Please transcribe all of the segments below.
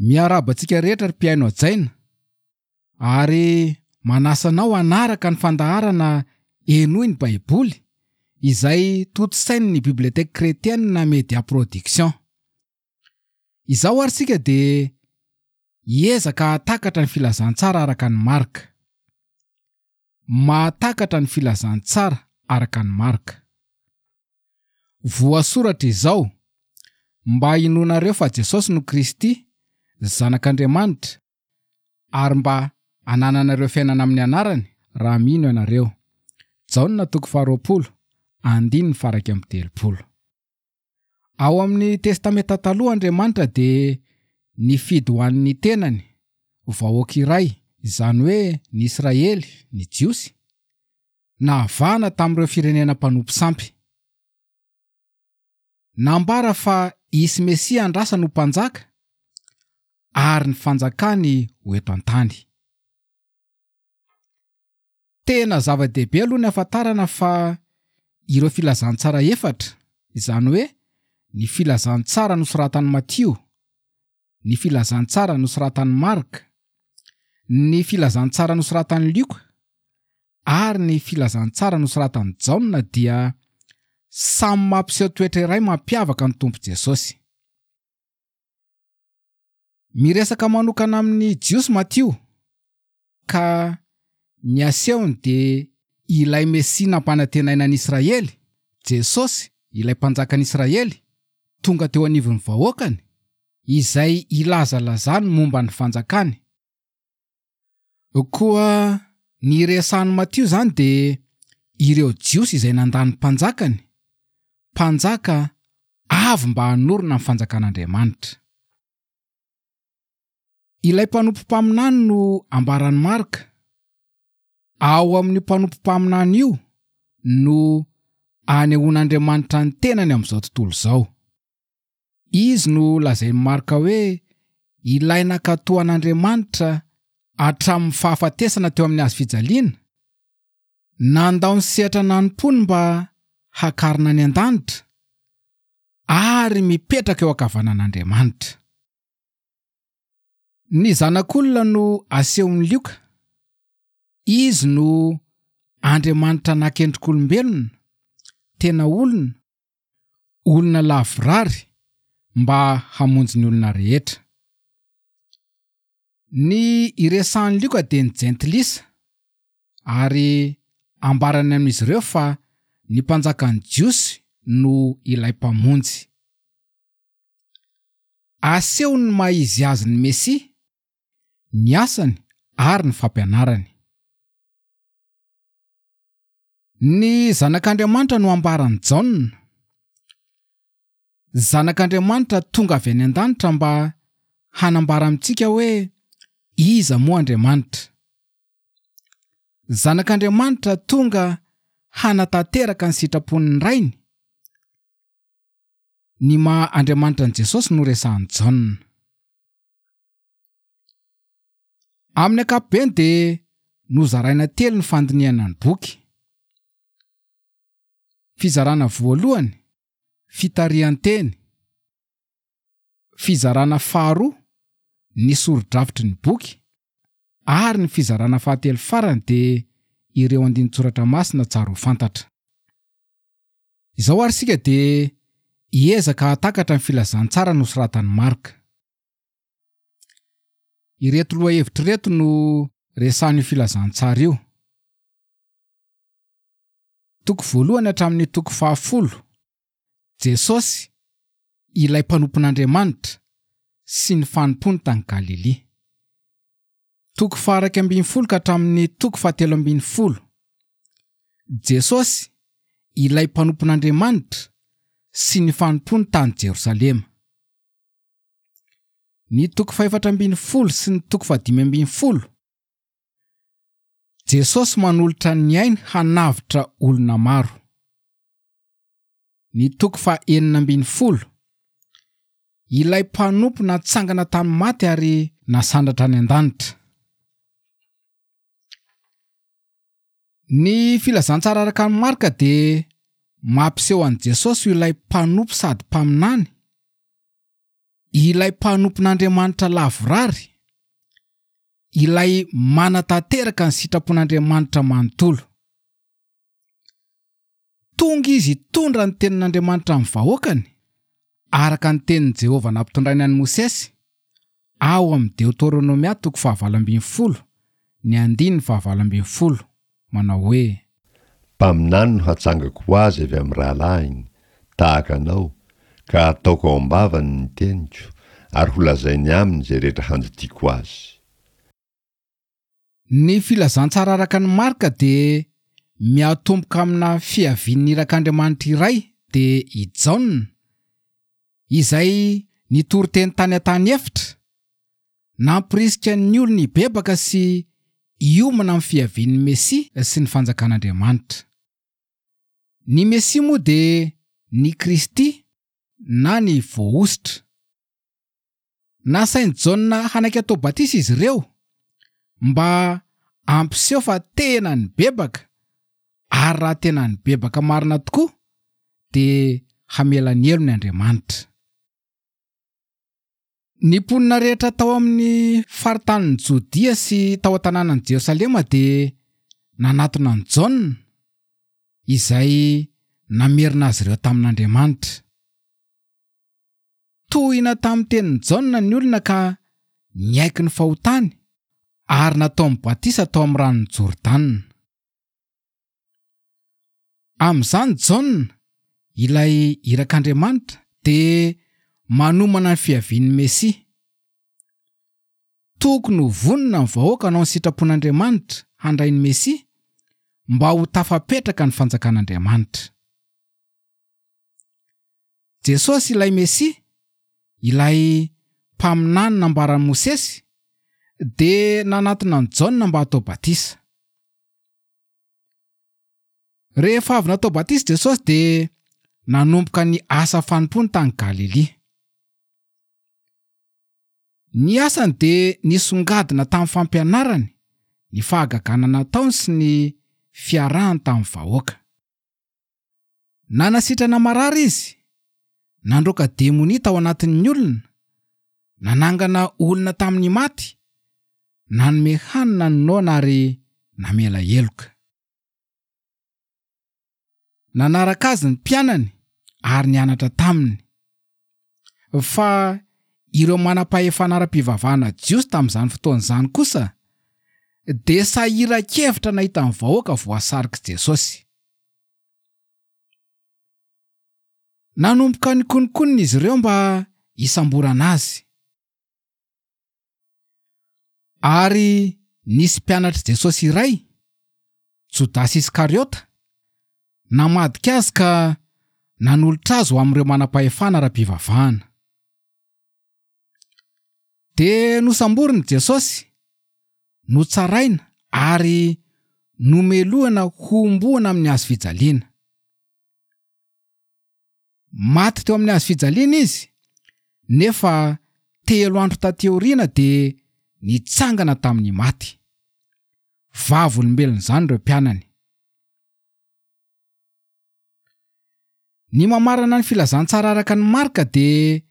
Miarahaba antsika rehetra ry mpihaino hajaina ary manasa anao hanaraka ny fandaharana Henoy ny Baiboly izay tontosain'ny Bibliothèque Chrétienne Media Production. Izao ary isika dia hiezaka hahatakatra ny filazantsara araka an'i Marka. Mahatakatra ny filazantsara araka an'i Marka. Voasoratra izao, Mba hinoanareo fa Jesosy no Kristy, Zanak'Andriamanitra, ary mba hanananareo fiainana amin'ny anarany, raha mino ianareo. Jaona toko faharoapolo, andininy faha-31. Ao amin'ny Testamenta Taloha Andriamanitra dia nifidy ho an'ny tenany vahoaka iray, izany hoe ny Israely, ny Jiosy, nahavahana tamin'ireo firenena mpanompo sampy. Nambara fa hisy Mesia andrasany ho mpanjaka ary ny fanjakany ho eto an-tany. Tena zava-dehibe aloha ny hahafantarana fa ireo filazantsara efatra, izany hoe ny filazantsara nosoratan'i Matio, ny filazantsara nosoratan'i Marka, ny filazantsara nosoratan'i Lioka ary ny filazantsara nosoratan'i Jaona dia samy mampiseho toetra iray mampiavaka ny Tompo Jesosy. Miresaka manokana amin'ny Jiosy Matio, ka ny asehony dia ilay Mesia nampanantenaina an'i Israely, Jesosy, ilay Mpanjakan'i Israely, tonga teo anivon'ny vahoakany, izay ilazalazany momba ny fanjakany. Koa ny resahan'i Matio izany dia ireo Jiosy izay nandà ny Mpanjakany, Mpanjaka avy mba hanorina ny fanjakan'Andriamanitra. Ilay mpanompo mpaminany no ambaran'i Marka. Ao amin'io mpanompo mpaminany io no anehoan'Andriamanitra ny tenany amin'izao tontolo izao. Izy no lazain'i Marka hoe ilay nankatò an'Andriamanitra hatramin'ny fahafatesana teo amin'ny hazo fijaliana, nandao ny sehatra nanompoany mba hakarina any an-danitra, ary mipetraka eo ankavanan'Andriamanitra. Ny Zanak'olona no asehon'i Lioka. Izy no Andriamanitra nakendrik'olombelona, tena olona, olona lavorary mba hamonjy ny olona rehetra. Ny iresahan'i Lioka dia ny Jentilisa, ary ambarany amin'izy ireo fa ny mpanjakan'ny Jiosy no ilay Mpamonjy. Asehony ny maha izy azy ny Mesia, ny asany ary ny fampianarany. Ny Zanak'Andriamanitra no ambaran'i Jaona. Zanak'Andriamanitra tonga avy any an-danitra mba hanambara amintsika hoe iza moa Andriamanitra. Zanak'Andriamanitra tonga hanatanteraka ny sitrapon'ny Rainy. Ny maha Andriamanitra an'i Jesosy no resahan'i Jaona. Amin'ny ankapobeny dia nozaraina telo ny fandinihana ny boky. Fizarana voalohany, fitarihan-teny. Fizarana faharoa, ny sori-drafitry ny boky. Ary ny fizarana fahatelo farany dia ireo andinin-tsoratra masina tsara ho fantatra. Izao ary isika dia hiezaka hahatakatra ny filazantsara nosoratan'i Marka. Ireto lohahevitra ireto no resahin'io filazantsara io. Toko voalohany hatramin'ny toko fahafolo, Jesosy, ilay mpanompon'Andriamanitra, sy ny fanompoany tany Galilia. Toko faha-11 ka hatramin'ny toko faha-13. Jesosy, ilay mpanompon'Andriamanitra, sy ny fanompoany tany Jerosalema. Ny toko fahefatra ambin'ny folo sy ny toko fahadimy ambin'ny folo. Jesosy manolotra ny ainy hanavotra olona maro. Ny toko faha-16. Ilay mpanompo natsangana tamin'ny maty ary nasandratra any an-danitra. Ny filazantsara araka an'i Marka dia mampiseho an'i Jesosy ho ilay mpanompo sady mpaminany. Ilay mpanompon'Andriamanitra lavorary, ilay manatanteraka ny sitrapon'Andriamanitra manontolo. Tonga izy hitondra ny tenin'Andriamanitra amin'ny vahoakany, araka ny tenin'i Jehovah nampitondrainy an'i Mosesy, ao amin'ny Deoteronomia toko fahavalo 18, ny andininy fahavalo 18, manao hoe. Mpaminany no hatsangako ho azy avy amin'ny rahalahiny, tahaka anao, ka hataoko ao am-bavany ny teniko, ary holazainy aminy izay rehetra handidiako azy. Ny Filazantsara araka an'i Marka dia miatomboka amina fiavian'ny irak'Andriamanitra iray, dia i Jaona, izay nitory teny tany an-tany efitra, nampirisika ny olona hibebaka sy hiomana amin'ny fiavian'ny Mesia sy ny Fanjakan'Andriamanitra. Ny Mesia moa dia ny Kristy na ny Voahosotra. Nasain'i Jaona hanaiky atao batisa izy ireo mba hampiseho fa tena nibebaka, ary raha tena nibebaka marina tokoa dia hamela ny helony Andriamanitra. Ny mponina rehetra tao amin'ny faritanin'i Jodia sy tao an-tanànan'i Jerosalema dia nanatona an'i Jaona, izay namerina azy ireo tamin'Andriamanitra. Tohina tamin'ny tenin'i Jaona ny olona ka niaiky ny fahotany ary nataony batisa tao amin'ny ranon'i Jordana. Amin'izany Jaona, ilay irak'Andriamanitra, dia manomana ny fiavian'ny Mesia. Tokony ho vonona ny vahoaka hanao ny sitrapon'Andriamanitra handray ny Mesia mba ho tafapetraka ny fanjakan'Andriamanitra. Jesosy ilay Mesia, ilay mpaminany nambaran'i Mosesy, dia nanatona an'i Jaona mba hatao batisa. Rehefa avy natao batisa Jesosy dia nanomboka ny asa fanompoany tany Galilia. Ny asany dia nisongadina tamin'ny fampianarany, ny fahagagana nataony sy ny fiarahany tamin'ny vahoaka. Nanasitrana marary izy, nandroaka demonia tao anatin'ny olona, nanangana olona tamin'ny maty, nanome hanina ny noana ary namela heloka. Nanaraka azy ny mpianany ary nianatra taminy. Fa ireo manam-pahefana ara-pivavahana jiosy tamin'izany fotoana izany kosa dia sahiran-kevitra nahita ny vahoaka voasarik'i Jesosy. Nanomboka nikononkonona izy ireo mba hisamborana azy. Ary nisy mpianatr'i Jesosy iray, Jodasy Iskariota, namadika azy ka nanolotra azy ho amin'ireo manam-pahefana ara-pivavahana. Dia nosamborina i Jesosy, notsaraina ary nomelohina hohomboana amin'ny hazo fijaliana. Maty teo amin'ny hazo fijaliana izy, nefa telo andro taty aoriana dia nitsangana tamin'ny maty. Vavolombelon'izany ireo mpianany. Ny mamarana ny filazantsara araka an'i Marka dia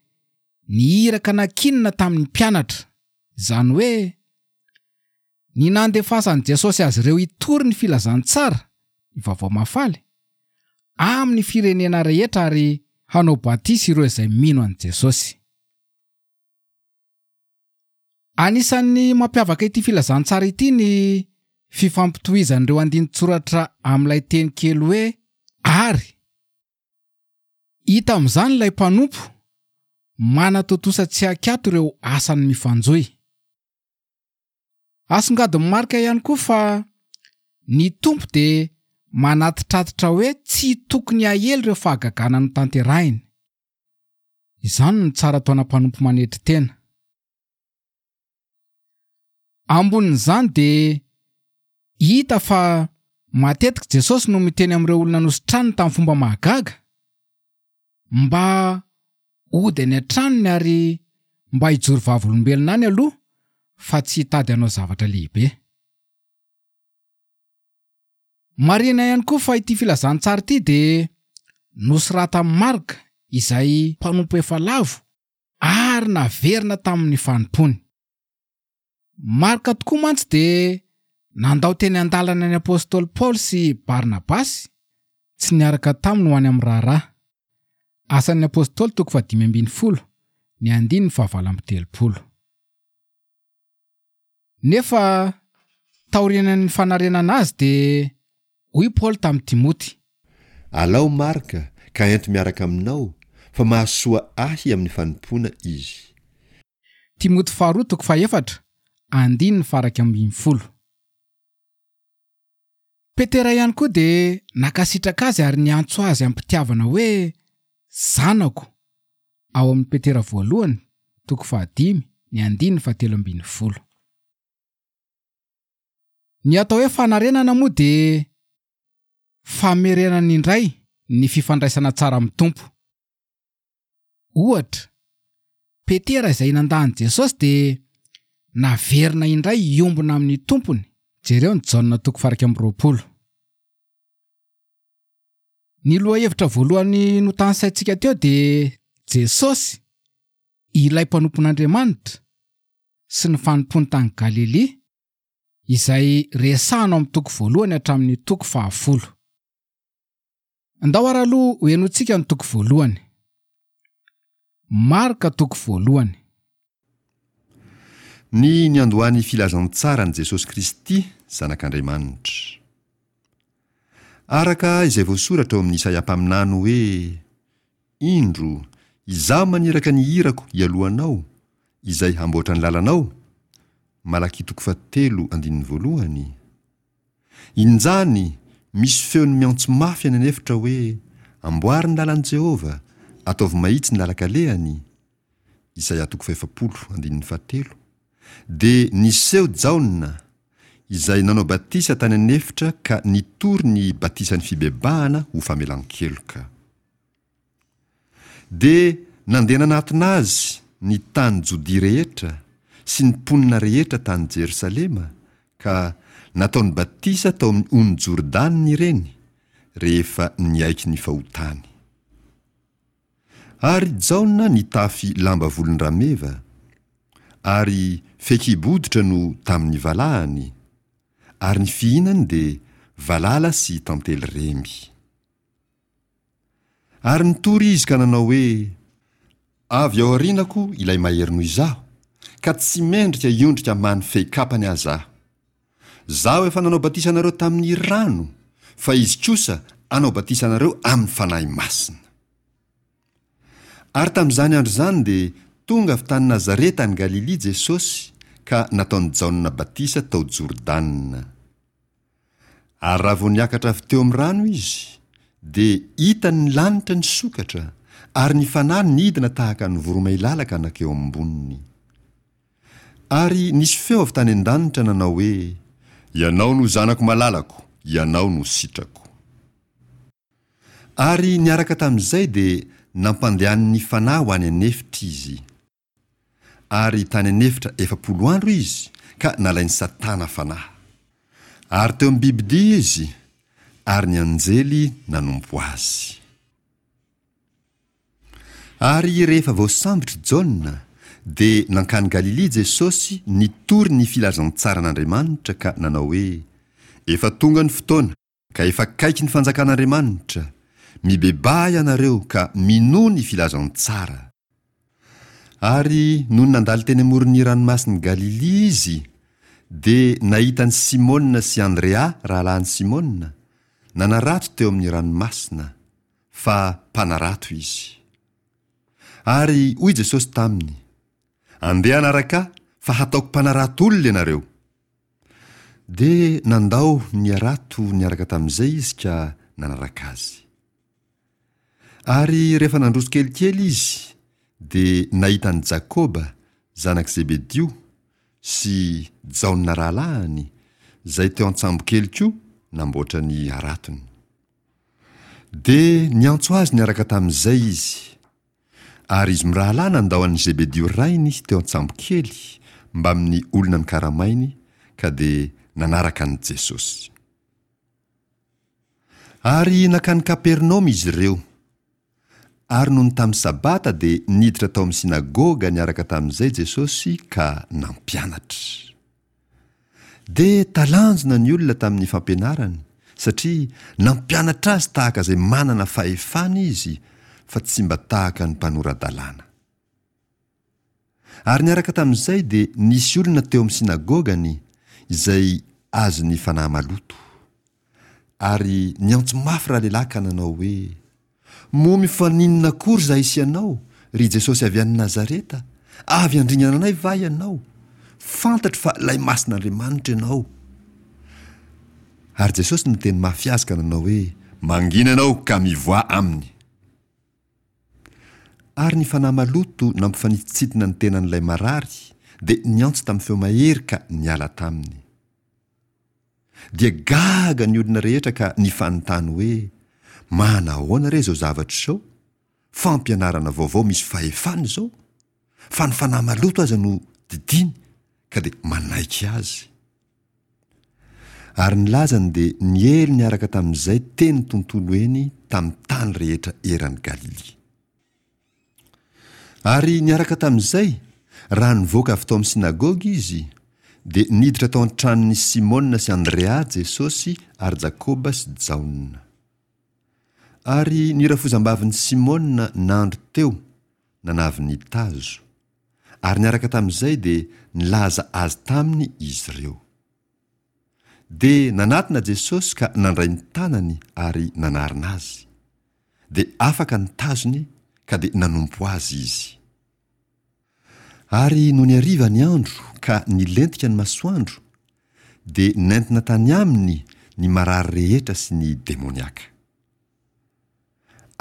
ny iraka nankinina tamin'ny mpianatra, izany hoe ny nandefasan'i Jesosy azy ireo hitory ny filazantsara, ny vaovao mahafaly, amin'ny firenena rehetra ary hanao batisa ireo izay mino an'i Jesosy. Anisan'ny mampiavaka ity filazantsara ity ny fifampitohizan'ireo andinin-tsoratra amin'ilay teny kely hoe ary. Hita amin'izany ilay mpanompo manatontosa tsy an-kiato ireo asany mifanjohy. Asongadin'i Marka ihany koa fa ny Tompo dia manatitratitra hoe tsy tokony hahely ireo fahagagana notanterahiny. Izany no tsara ataona mpanompo manetry tena. Ambonin'izany dia hita fa matetika Jesosy no miteny amin'ireo olona nositraniny tamin'ny fomba mahagaga mba hody any an-tranony ary mba hijoro vavolombelona any aloha fa tsy hitady hanao zavatra lehibe. Marihina ihany koa fa ity filazantsara ity dia nosoratan'i Marka izay mpanompo efa lavo. ary naverina tamin'ny fanompoany. Marka tokoa mantsy dia nandao teny an-dalana ny apostoly Paoly sy Barnabasy, tsy niaraka taminy ho any amin'ny raharaha. Asan'ny Apostoly toko fahadimy ambin'ny folo, ny andininy fahavalo amby telopolo. Nefa taorianan'ny fanarenana azy dia hoy Paoly tamin'i Timoty. Alao Marka ka ento miaraka aminao, fa mahasoa ahy amin'ny fanompoana izy. Timoty faharoa toko fahefatra, andininy faha-iraika ambin'ny folo. Petera ihany koa dia nankasitraka azy ary niantso azy amim-pitiavana hoe zanako, ao amin'ny Petera voalohany, toko fahadimy, ny andininy fahatelo ambin'ny folo. Ny atao hoe fanarenana moa dia famerenana indray ny fifandraisana tsara amin'ny Tompo. Ohatra, Petera izay nandà an'i Jesosy dia naverina indray hiombona amin'ny Tompony, jereo ny Jaona toko faha-21. Ny lohahevitra voalohany notanisaintsika teo dia Jesosy, ilay mpanompon'Andriamanitra, sy ny fanompoany tany Galilia, izay resahana ao amin'ny toko voalohany hatramin'ny toko fahafolo. Andao ary aloha ho henointsika ny toko voalohany. Marka toko voalohany. Ny niandohan'ny filazantsaran'i Jesosy Kristy Zanak'Andriamanitra. Araka izay voasoratra ao amin'ny Isaia mpaminany hoe, Indro, Izaho maniraka ny irako hialoha anao, izay hamboatra ny lalanao, Malakia toko fahatelo andininy voalohany. Injany misy feon'ny miantso mafy any an'efitra hoe, Amboary ny lalan'i Jehovah, ataovy mahitsy ny lalan-kalehany. Isaia toko fahefapolo, andininy fahatelo. Dia niseho Jaona, izay nanao batisa tany an'efitra ka nitory ny batisan'ny fibebahana ho famelan-keloka. Dia nandeha nanatona azy ny tany Jodia rehetra sy ny mponina rehetra tany Jerosalema, ka nataony batisa tao amin'ny ony Jordana ireny, rehefa niaiky ny fahotany. Ary Jaona nitafy lamba volon-drameva, ary fehikibo hoditra no tamin'ny valahany, ary ny fihinany dia valala sy tantely remby. Ary nitory izy ka nanao hoe, Avy ao aorianako ilay mahery noho izaho, ka tsy mendrika hiondrika ambany fehi-kapany aza aho. Izaho efa nanao batisa anareo tamin'ny rano, fa izy kosa hanao batisa anareo amin'ny Fanahy Masina. Ary tamin'izany andro izany dia tonga avy tany Nazareta any Galilia Jesosy ka nataon'i Jaona batisa tao Jordana. Ary raha vao niakatra avy teo amin'ny rano izy, dia hitany ny lanitra nisokatra, ary ny Fanahy nidina tahaka ny voromailala ka nankeo amboniny. Ary nisy feo avy tany an-danitra nanao hoe, Ianao no Zanako malalako, Ianao no sitrako. Ary niaraka tamin'izay dia nampandehanin'ny Fanahy ho any an'efitra izy. Ary tany an'efitra 40 andro izy ka nalain'i Satana fanahy. Ary teo amin'ny bibidia izy, ary ny anjely nanompo azy. Ary rehefa voasambotra i Jaona, dia nankany Galilia Jesosy nitory ny filazantsaran'Andriamanitra ka nanao hoe, Efa tonga ny fotoana, ka efa akaiky ny fanjakan'Andriamanitra, mibebaha ianareo ka minoa ny filazantsara. Ary nony nandalo teny amoron'ny ranomasin'i Galilia izy, dia nahita an'i Simona sy Andrea rahalahin'i Simona, nanarato teo amin'ny ranomasina, fa mpanarato izy. Ary hoy Jesosy taminy, Andeha hanaraka Ahy, fa hataoko mpanarato olona ianareo. Dia nandao ny harato niaraka tamin'izay izy ka nanaraka azy. Ary rehefa nandroso kelikely izy, dia nahita an'i Jakoba, zanak'i Zebedio, sy Jaona rahalahiny, izay teo an-tsambokely koa namboatra ny haratony. Dia niantso azy niaraka tamin'izay izy. Ary izy mirahalahy nandao an'i Zebedio rainy teo an-tsambokely mbamin'ny olona nokaramainy ka dia nanaraka an'i Jesosy. Ary nankany Kapernaomy izy ireo. Ary nony tamin'ny Sabata dia niditra tao amin'ny synagoga niaraka tamin'izay Jesosy ka nampianatra. Dia talanjona ny olona tamin'ny fampianarany, satria nampianatra azy tahaka izay manana fahefana izy, fa tsy mba tahaka ny mpanora-dalàna. Ary niaraka tamin'izay dia nisy olona teo amin'ny synagogany izay azon'ny fanahy maloto. Ary niantso mafy ralehilahy ka nanao hoe, Moa mifaninona akory izahay sy ianao, ry Jesosy avy any Nazareta? Avy handringana anay va ianao? Fantatro fa ilay Masin'Andriamanitra ianao. Ary Jesosy niteny mafy azy ka nanao hoe, Mangina ianao ka mivoaha aminy. Ary ny fanahy maloto nampifanitsintina ny tenan'ilay marary dia niantso tamin'ny feo mahery ka niala taminy. Dia gaga ny olona rehetra ka nifanontany hoe, Manahoana re izao zavatra izao? Fampianarana vaovao misy fahefana izao? Fa ny fanahy maloto aza no didiany ka dia manaiky azy. Ary ny lazany dia niely niaraka tamin'izay teny tontolo eny tamin'ny tany rehetra eran'i Galilia. Ary niaraka tamin'izay, raha nivoaka avy tao amin'ny synagoga izy, dia niditra tao an-tranon'i Simona sy Andrea Jesosy ary Jakoba sy Jaona. Ary ny rafozambavin'i Simona nandry teo nanavy ny tazo, ary niaraka tamin'izay dia nilaza azy taminy izy ireo. Dia nanatona Jesosy ka nandray ny tanany ary nanarina azy. Dia afaka ny tazony ka dia nanompo azy izy. Ary nony hariva ny andro ka nilentika ny masoandro, dia nentina tany aminy ny marary rehetra sy ny demoniaka.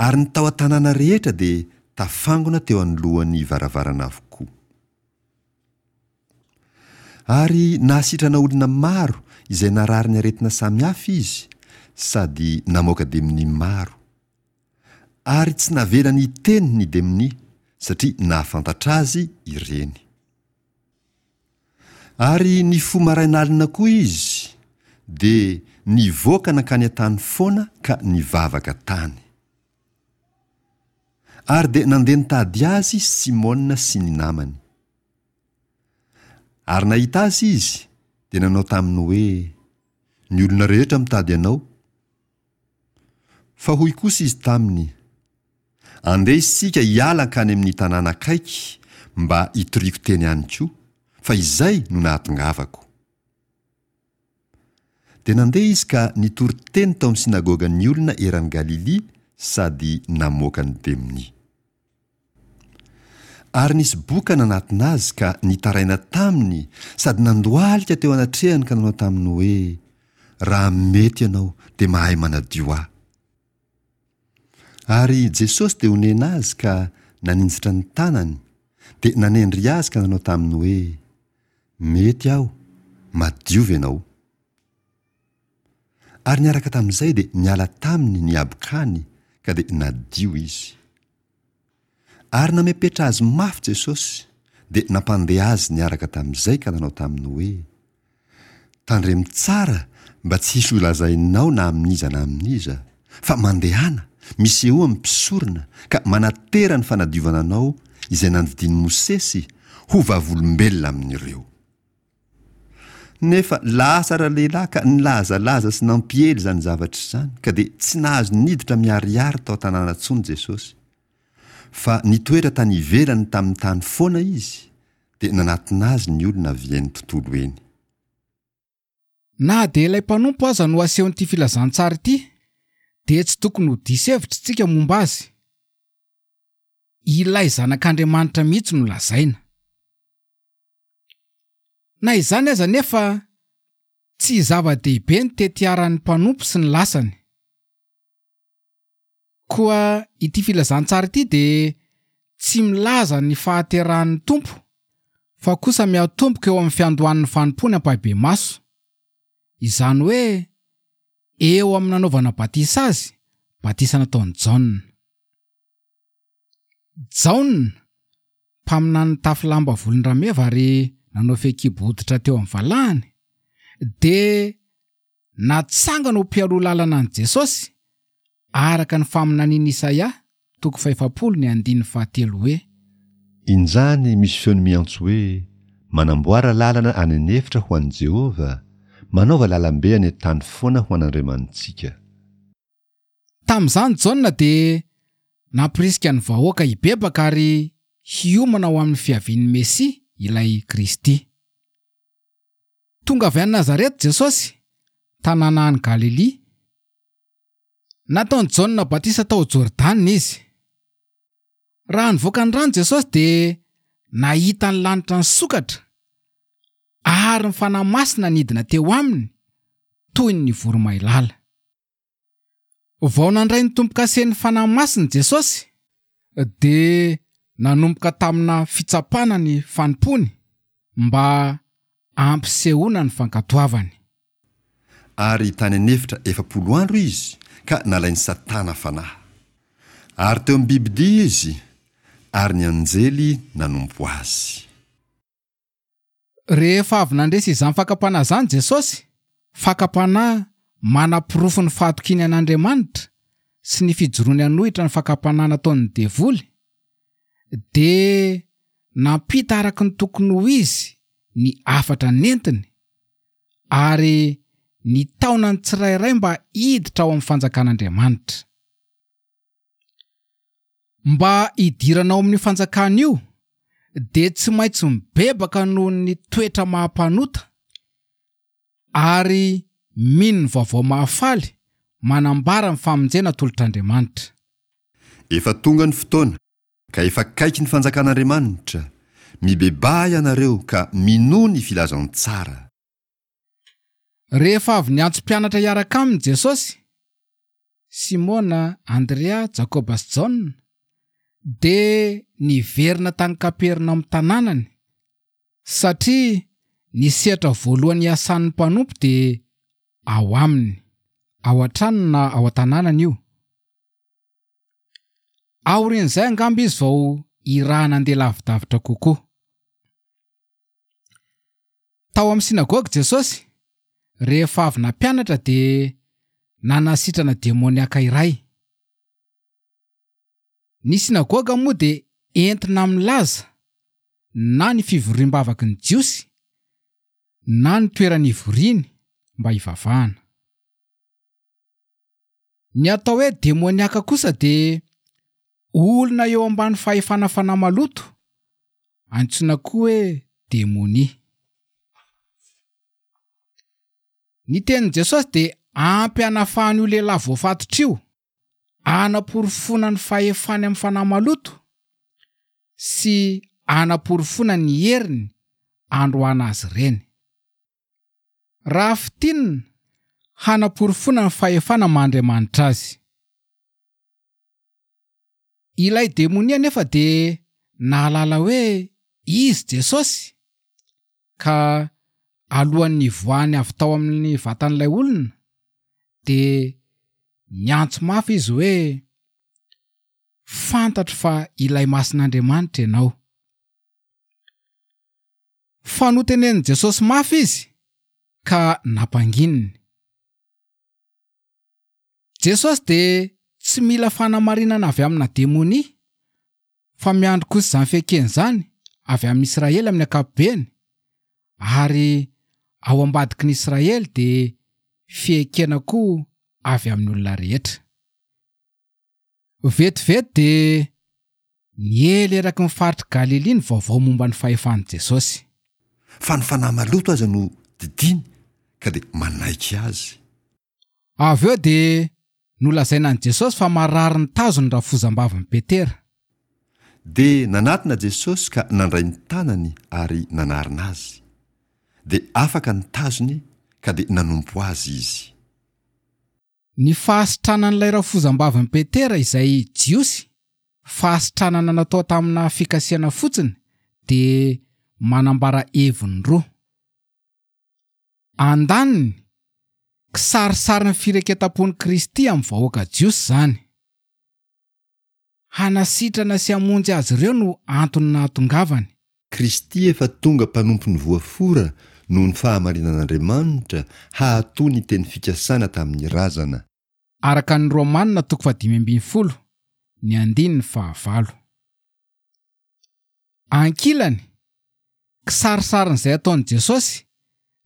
Ary ny tao an-tanàna rehetra dia tafangona teo anoloan'ny varavarana avokoa. Ary nahasitrana olona maro izay narary ny aretina samihafa izy, sady namoaka demonia maro. Ary tsy navelany hiteny ny demonia, satria nahafantatra azy ireny. Ary nifoha marain'alina koa izy, dia nivoaka nankany an-tany foana ka nivavaka tany. Ary dia nandeha nitady azy Simona sy ny namany. Ary nahita azy izy, dia nanao taminy hoe, Ny olona rehetra mitady anao. Fa hoy kosa izy taminy, Andeha isika hiala hankany amin'ny tanàna akaiky mba hitoriako teny any koa, fa izay no nahatongavako. Dia nandeha izy ka nitory teny tao amin'ny synagogan'ny olona eran'i Galilia sady namoaka ny demonia. Ary nisy boka nanatona azy ka nitaraina taminy sady nandohalika teo anatrehany ka nanao taminy hoe, Raha mety ianao dia mahay manadio ahy. Ary Jesosy dia onena azy ka naninjitra ny tanany, dia nanendry azy ka nanao taminy hoe, Mety aho, madiova ianao. Ary niaraka tamin'izay dia niala taminy ny habokany ka dia nadio izy. Ary namepetra azy mafy Jesosy, dia nampandeha azy niaraka tamin'izay ka nanao taminy hoe, Tandremo tsara mba tsy hisy holazainao na amin'iza na amin'iza, fa mandehana, misehoa amin'ny mpisorona, ka manatera ny fanadiovana anao izay nandidian'i Mosesy ho vavolombelona amin'ireo. Nefa lasa ralehilahy ka nilazalaza sy nampiely izany zavatra izany, ka dia tsy nahazo niditra miharihary tao an-tanàna intsony Jesosy. Fa nitoetra tany ivelany tamin'ny tany foana izy, dia nanatona azy ny olona avy eny tontolo eny. Na dia ilay mpanompo aza no asehon'ity filazantsara ity, dia tsy tokony ho diso hevitra isika momba azy. Ilay Zanak'Andriamanitra mihitsy no lazaina. Na izany aza anefa, tsy zava-dehibe ny tetiaran'ny mpanompo sy ny lasany. Koa ity filazantsara ity dia tsy milaza ny fahaterahan'ny Tompo fa kosa miatomboka eo amin'ny fiandohan'ny fanompoany ampahibemaso. Izany hoe eo amin'ny nanaovana batisa azy, batisa nataon'i Jaona. Jaona, mpaminany nitafy lamba volon-drameva ary nanao fehikibo hoditra teo amin'ny valahany, dia natsangana ho mpialoha lalana an'i Jesosy, araka ny faminanian'i Isaia. toko fahefapolo ny andininy fahatelo hoe. Injany misy feony miantso hoe, Manamboara lalana any an'efitra ho an'i Jehovah, manaova lalambe any an-tany foana ho an'Andriamanitsika. Tamin'izany Jaona dia nampirisika ny vahoaka hibebaka ary hiomana ho amin'ny fiavian'ny Mesia, ilay Kristy. Tonga avy any Nazareta Jesosy, tanàna any Galilia. Nataon'i Jaona batisa tao Jordana izy. Raha nivoaka ny rano Jesosy dia nahita ny lanitra nisokatra ary ny Fanahy Masina nidina teo aminy toy ny voromailala. Vao nandray ny tombokasen'ny Fanahy Masina Jesosy dia nanomboka tamina fitsapana ny fanompoany mba hampisehoana ny fankatoavany. Ary tany an'efitra 40 andro izy ka nalain'i Satana fanahy. Ary teo amin'ny bibidia izy, ary ny anjely nanompo azy. Rehefa avy nandresy izany fakam-panahy izany Jesosy, fakam-panahy manaporofo ny fahatokiany an'Andriamanitra sy ny fijoroany hanohitra ny fakam-panahy nataon'ny devoly, dia nampita araka ny tokony ho izy ny hafatra nentiny ary nitaona ny tsirairay mba hiditra ao amin'ny fanjakan'Andriamanitra. Mba hidirana ao amin'io fanjakana io dia tsy maintsy mibebaka noho ny toetra maha-mpanota ary mino ny vaovao mahafaly manambara ny famonjena atolotr'Andriamanitra. Efa tonga ny fotoana, ka efa akaiky ny fanjakan'Andriamanitra. Mibebaha ianareo ka minoa ny filazantsara. Rehefa avy niantso mpianatra hiaraka aminy Jesosy, Simona, Andrea, Jakoba sy Jaona, dia niverina tany Kapernaomy tanànany, satria ny sehatra voalohany iasan'ny mpanompo dia ao aminy, ao an-tranony na ao an-tanànany io. Aorian'izay angamba izy vao irahana handeha lavidavitra kokoa. Tao amin'ny synagoga Jesosy, rehefa avy nampianatra dia nanasitrana demoniaka iray. Ny synagoga moa dia entina milaza na ny fivoriam-bavaky ny Jiosy na ny toerana ivoriany mba hivavahana. Ny atao hoe demoniaka kosa dia olona eo ambany fahefana fanahy maloto, antsoina koa hoe demonia. Ny tenin'i Jesosy dia ampy hanafahana io lehilahy voafatotra io, hanaporofoana ny fahefany amin'ny fanahy maloto sy hanaporofoana ny heriny handroahana azy ireny. Raha fintinina, hanaporofoana ny fahefana maha Andriamanitra azy. Ilay demonia anefa dia nahalala hoe izy Jesosy, ka alohan'ny nivoahany avy tao amin'ny vatan'ilay olona, dia niantso mafy izy hoe, Fantatro fa ilay Masin'Andriamanitra ianao. Fa notenenin'i Jesosy mafy izy ka nampangininy. Jesosy dia tsy mila fanamarinana avy amina demonia, fa miandry kosa izany fiaikena izany avy amin'i Israely amin'ny ankapobeny, ary ao ambadiky ny Israely dia fiaikena koa avy amin'ny olona rehetra. Vetivety dia niely eraky ny faritr'i Galilia ny vaovao momba ny fahefan'i Jesosy. Fa ny fanahy maloto aza no didiany ka dia manaiky azy. Avy eo dia nolazaina an'i Jesosy fa marary ny tazo ny rafozambavin'i Petera. Dia nanatona Jesosy ka nandray ny tanany ary nanarina azy. Dia afaka ny tazony ka dia nanompo azy izy. Ny fahasitranan'ilay rafozambavin'i Petera izay Jiosy, fahasitranana natao tamina fikasihana fotsiny, dia manambara heviny roa. Andaniny, kisarisarin'ny fireketam-pon'i Kristy amin'ny vahoaka jiosy izany. Hanasitrana sy hamonjy azy ireo no antony nahatongavany. Kristy efa tonga mpanompon'ny voafora noho ny fahamarinan'Andriamanitra hahatoa ny teny fikasana tamin'ny razana. Araka ny Romana toko fahadimy ambinifolo, ny andininy fahavalo. Ankilany, kisarisarin'izay ataon'i Jesosy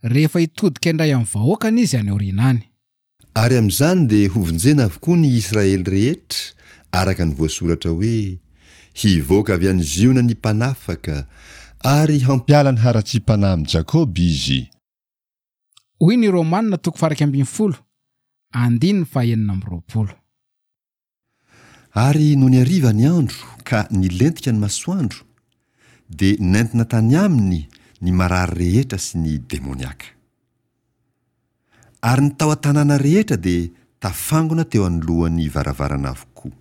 rehefa hitodika indray amin'ny vahoakany izy any aoriana any. Ary amin'izany dia hovonjena avokoa ny Israely rehetra, araka ny voasoratra hoe, Hivoaka avy any Ziona ny Mpanafaka, ary hampiala ny haratsiam-panahy amin'i Jakoba Izy. Hoy ny Romana toko faha-11, andininy faha-26. Ary nony hariva ny andro ka nilentika ny masoandro, dia nentina tany aminy ny marary rehetra sy ny demoniaka. Ary ny tao an-tanàna rehetra dia tafangona teo anoloan'ny varavarana avokoa.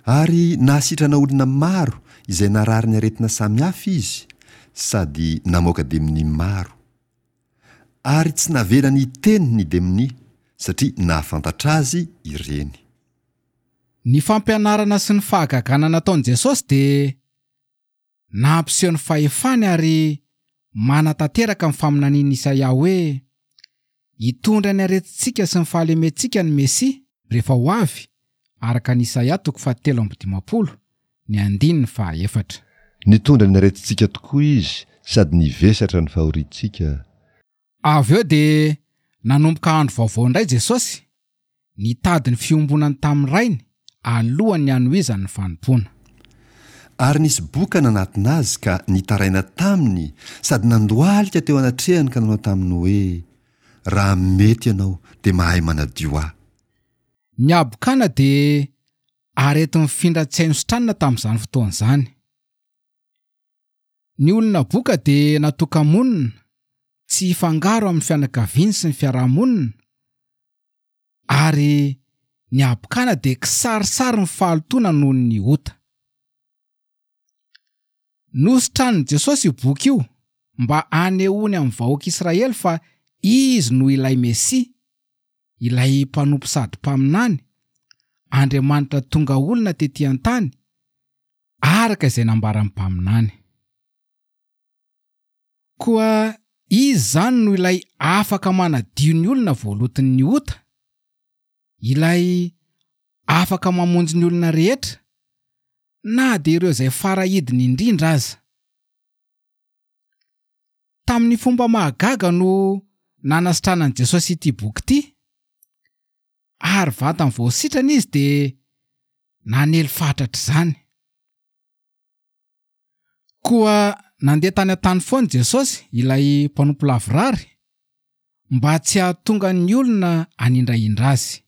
Ary nahasitrana olona maro izay narary ny aretina samihafa izy, sady namoaka demonia maro. Ary tsy navelany hiteny ny demonia, satria nahafantatra azy ireny. Ny fampianarana sy ny fahagagana nataon'i Jesosy dia nampiseho ny fahefany ary manatanteraka ny faminanian'i Isaia hoe, Hitondra ny aretintsika sy ny fahalementsika ny Mesia rehefa ho avy, araka ny Isaia toko fahatelo amby dimampolo, ny andininy fahaefatra. Nitondra ny aretintsika tokoa Izy sady nivesatra ny fahoriantsika. Avy eo dia nanomboka andro vaovao indray Jesosy, nitady ny fiombonany tamin'ny Rainy alohan'ny hanohizany ny fanompoana. Ary nisy boka nanatona Azy ka nitaraina taminy sady nandohalika teo anatrehany ka nanao taminy hoe, Raha mety Ianao, dia mahay manadio ahy. Ny habokana dia areti-mifindra tsy hay nositranina tamin'izany fotoana izany. Ny olona boka dia natoka-monina tsy hifangaro amin'ny fianakaviany sy ny fiaraha-monina ary ny habokana dia kisarisarin'ny fahalotoana noho ny ota. Nositranin'i Jesosy io boka io mba hanehoany amin'ny vahoaka Israely fa Izy no ilay Mesia, ilay mpanompo sady mpaminany, Andriamanitra tonga olona tetỳ an-tany, araka izay nambaran'ny mpaminany. Koa Izy izany no ilay afaka manadio ny olona voaloton'ny ota, ilay afaka mamonjy ny olona rehetra, na dia ireo izay fara-hidiny indrindra aza. Tamin'ny fomba mahagaga no nanasitranan'i Jesosy ity boky ity, ary vantany vao sitrana izy dia nanely fatratra izany. Koa nandeha tany an-tany foana Jesosy, ilay mpanompo lavorary, mba tsy hahatonga ny olona hanindrahindra azy.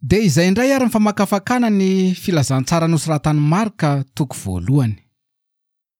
Dia izay indray ary ny famakafakana ny filazantsara nosoratan'i Marka toko voalohany.